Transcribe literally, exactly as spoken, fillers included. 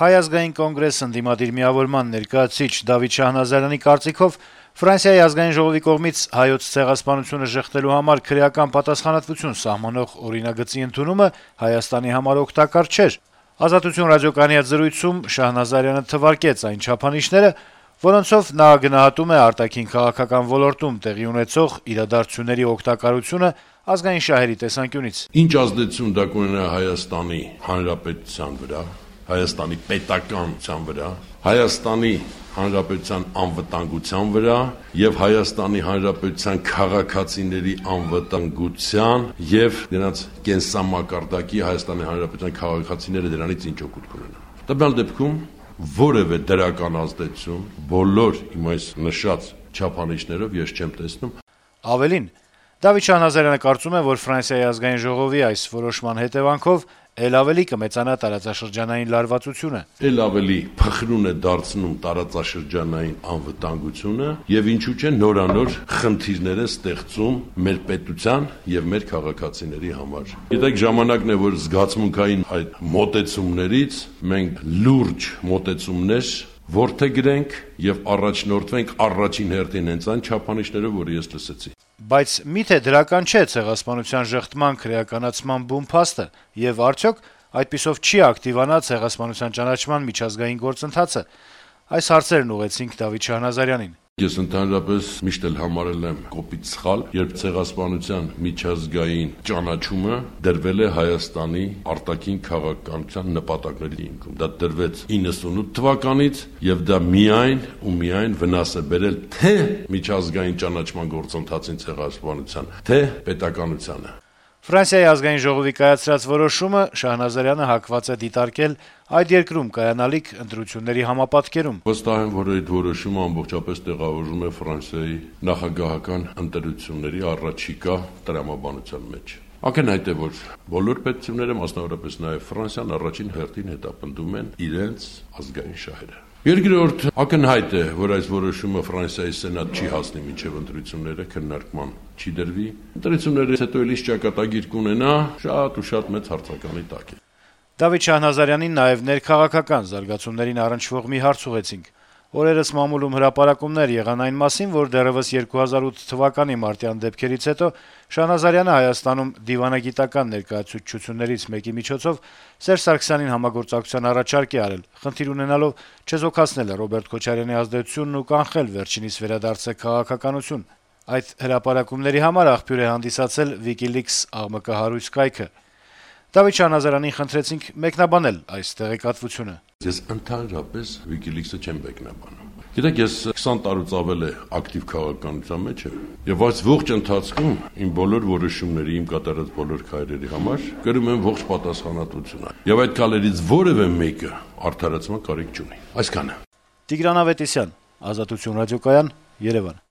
Հայ ազգային կոնգրես ընդդիմադիր միավորման ներկայացուցիչ Դավիթ Շահնազարյանի կարծիքով Ֆրանսիայի ազգային ժողովի կողմից հայոց ցեղասպանությունը ժխտելու համար քրեական պատասխանատվություն սահմանող օրինագծի ընդունումը Հայաստանի համար օգտակար չէր։ «Ազատություն» ռադիոկայանի հետ զրույցում Շահնազարյանը թվարկեց այն չափանիշները, որոնցով նա գնահատում է արտաքին քաղաքական ոլորտում տեղի ունեցող իրադարձությունների օգտակարությունը ազգային շահերի տեսանկյունից։ Ինչ ազդեցություն դա կունենա Հայաստանի Հանրապետության վրա, Հայաստանի պետականության վրա, Հայաստանի Հանրապետության անվտանգության վրա եւ Հայաստանի Հանրապետության քաղաքացիների անվտանգության եւ նրանց կենսամակարդակի Հայաստանի Հանրապետության քաղաքացիները դրանից ինչ օգուտ կունենան։ Տվյալ դեպքում որևէ դրական ազդեցություն բոլոր իմ այս նշած չափանիշներով ես չեմ տեսնում։ Ավելին, Դավիթ Շահնազարյանը կարծում է, որ Ֆրանսիայի ազգային ժողովի այս որոշման հետեւանքով ել ավելի կմեծանա տարածաշրջանային լարվածությունը։ Ել ավելի փխրուն է դարձնում տարածաշրջանային անվտանգությունը եւ ինչու՞ չէ նորանոր խնդիրներ է ստեղծում մեր պետության եւ մեր քաղաքացիների համար։ Գիտեք, ժամանակն է, որ զգացմունքային այդ մոտեցումներից մենք լուրջ մոտեցումներ որդեգրենք եւ առաջնորդվենք առաջին հերթին հենց այն չափանիշներով, որ ես լսեցի։ Բայց միթե դրական չէ ցեղասպանության ժխտման քրեականացման բուն փաստը, եւ արդյոք այդպիսով չի ակտիվանա ցեղասպանության ճանաչման միջազգային գործընթացը։ Այս հարցերն ուղեցինք Դավիթ Շահնազարյանին։ Ես ընդհանրապես միշտ էլ համարել եմ կոպիտ սխալ, երբ ցեղասպանության միջազգային ճանաչումը դրվել է Հայաստանի արտաքին քաղաքականության նպատակների հիմքում։ Դա դրվեց իննսունութ թվականից եւ դա միայն ու միայն վնաս է բերել թե միջազգային ճանաչման գործընթացին ցեղասպանության, թե պետականությանը։ Ֆրանսիայի ազգային ժողովի կայացրած որոշումը Շահնազարյանը հակված է դիտարկել այդ երկրում կայանալիք ընտրությունների համապատկերում։ Վստահ եմ, որ այդ որոշումը ամբողջապես տեղավորվում է Ֆրանսիայի նախագահական ընտրությունների առաջիկա տրամաբանության մեջ։ Ակնհայտ է, որ բոլոր պետությունները, մասնավորապես նաև Ֆրանսիան, առաջին հերթին հետապնդում են իրենց ազգային շահերը։ Երկրորդ, ակնհայտ է, որ այս որոշումը Ֆրանսիայի սենատ չի հասնի մինչև ընտրությունները քննարկման չի դրվի։ Ընտրություններից հետո էլի ճակատագիր կունենա շատ ու շատ մեծ հարցականի տակ է։ Դավիթ Շահնազարյանին նաև ներքաղաքական զարգացումներին առնչվող մի հարց ուղեցինք։ Օրերս մամուլում հրապարակումներ եղան այն մասին, որ դեռևս երկու հազար ութ թվականի մարտյան դեպքերից հետո Շահնազարյանը Հայաստանում դիվանագիտական ներկայացուցչություններից մեկի միջոցով Սերժ Սարգսյանին համագործակցության առաջարկ է արել, խնդիր ունենալով չեզոքացնել Ռոբերտ Քոչարյանի ազդեցությունն ու կանխել վերջինիս վերադարձը քաղաքականություն։ Այդ հրապարակումների համար աղբյուր է հանդիսացել WikiLeaks աղմկահարույց կայքը։ Դավիթ Շահնազարյանին խնդրեցինք մեկնաբանել այս տեղեկատվությունը։ Ես ընդհանրապես WikiLeaks-ը չեմ մեկնաբանում։ Գիտեք, ես քսան տարուց ավել է ակտիվ քաղաքականության մեջ եմ, եւ այս ողջ ընթացքում իմ բոլոր որոշումների, իմ կատարած բոլոր քայլերի համար կրում եմ ողջ պատասխանատվությունը։ Եվ այդ քայլերից որևէ մեկը արդարացման կարիք չունի։ Այսքանը։ Տիգրան Ավետիսյան, Ազատություն ռադիոկայան, Երևան։